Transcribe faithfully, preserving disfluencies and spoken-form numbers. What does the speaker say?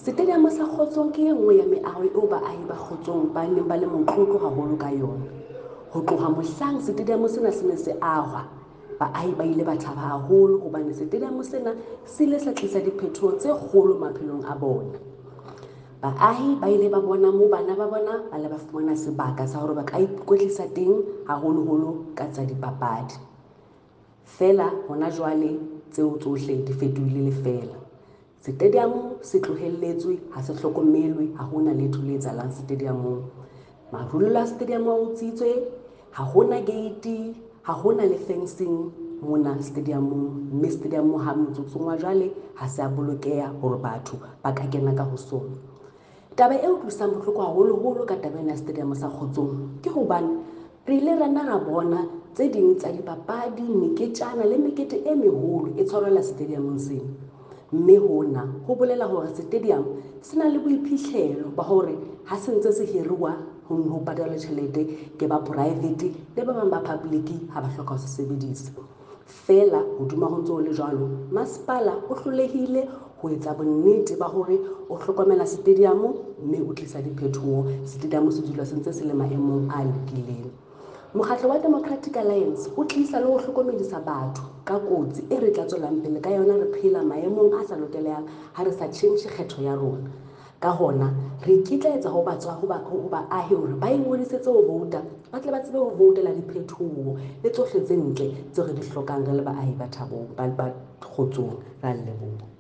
Stadium sa Kgotsong ke e nngwe ya meaho eo baahi ba Kgotsong ba neng ba le motlotlo haholo ka yona. Ho tloha mohlang stadium sena se ne se ahwa, baahi ba ile ba thaba haholo hobane stadium sena se ile sa tlisa diphetoho tse kgolo maphelong a bona. Baahi ba ile ba bona moo bana ba bona ba le ba fumana sebaka sa hore ba ka ikwetlisa teng haholoholo ka tsa dipapadi. Feela hona jwale tseo tsohle di fetohile lefeela. Stadium se tlohelletswe, ha se hlokomelwe, ha hona letho le etsahalang stadium-ong. Marulelo a stadium a utswitswe, ha hona gate, ha hona le fencing mona stadium-ong, mme stadium ha motsotsong wa jwale ha se a bolokeha hore batho ba ka kena ka ho sona. Taba e utlwisang bohloko haholoholo ka taba ena ya stadium sa Kgotsong ke hobane re ile ra nna ra bona tse ding tsa dipapadi, meketjana le mekete e meholo e tshwarelwa stadium-ong sena. Mme hona ho bolela hore stadium se na le boiphihlelo ba hore ha se ntse se hiruwa ho ho patalwa tjhelete ke ba private le ba bang ba public ha ba hloka ho se sebedisa. Feela hodima ho ntso ho le jwalo, masepala o hlolehile ho etsa bonnete ba hore o hlokomela stadium mme o tlisa diphetoho. Stadium se dula se ntse se le maemong a lokileng. Mokgatlo wa Democratic Alliance o tlisa le ho hlokomedisa batho ka kotsi e re tla tswelang pele ka yona re phela maemong a sa lokelehang ha re sa tjhentjhe kgetho ya rona. Ka hona, re ikitlaetsa ho batswa ho ba ho baahi hore ba ingodisetse ho vouta, ba tle ba tsebe ho voutela diphetoho le tsohle tse ntle tseo re di hlokang re le baahi ba Thabong, ba ba Kgotsong. Re a leboha.